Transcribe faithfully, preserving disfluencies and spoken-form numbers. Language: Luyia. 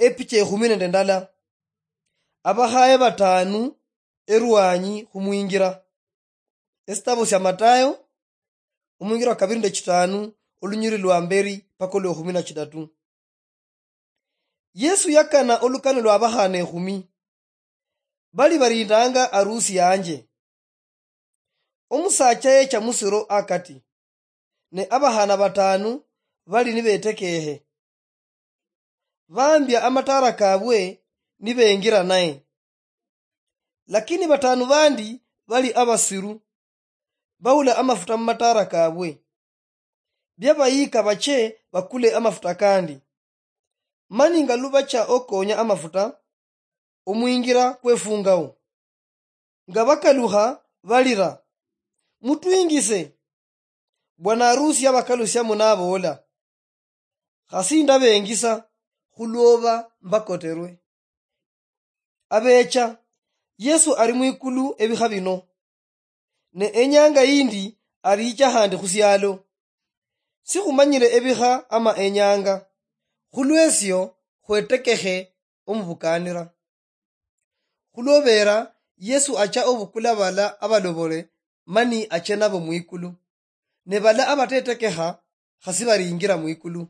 epicha ekhumi nende ndala, abakhaye batanu erwanyi khumwingira. Esitabo sia Matayo, omwingira wa kabiri nende chitanu, olunyiri lwa mberi paka olwa ekhumi na chitatu. Yesu yakana olukano lwa abakhana ekhumi. Bali barindanga arusi yanje. Omusacha yecha musiro akati, ne abakhana batanu bali nibetekehe. Bambia amatara kabwe nibengira naye. Lakini batanu bandi bali abasiru, baula amafuta mumatara kabwe. Byabayika bache bakule amafuta kandi. Mani nga lubacha okonya amafuta, omwingira kwefungawo. Nga bakalukha balira, "Mutwingise!" Bwana harusi yabakalusiamo naboola, "Khasi ndabengisa, khulwoba mbakoterwe." Abecha, Yesu ali mwikulu ebikha bino, ne enyanga yindi alicha khandi khusialo. Sikhumanyile ebikha ama enyanga, khulwesio khwetekekhe omubukanira. Khulwobeera, Yesu acha obukula bala abalobole mani ache nabo mwikulu. Ne bala abatetekekha khasi baringira mwikulu.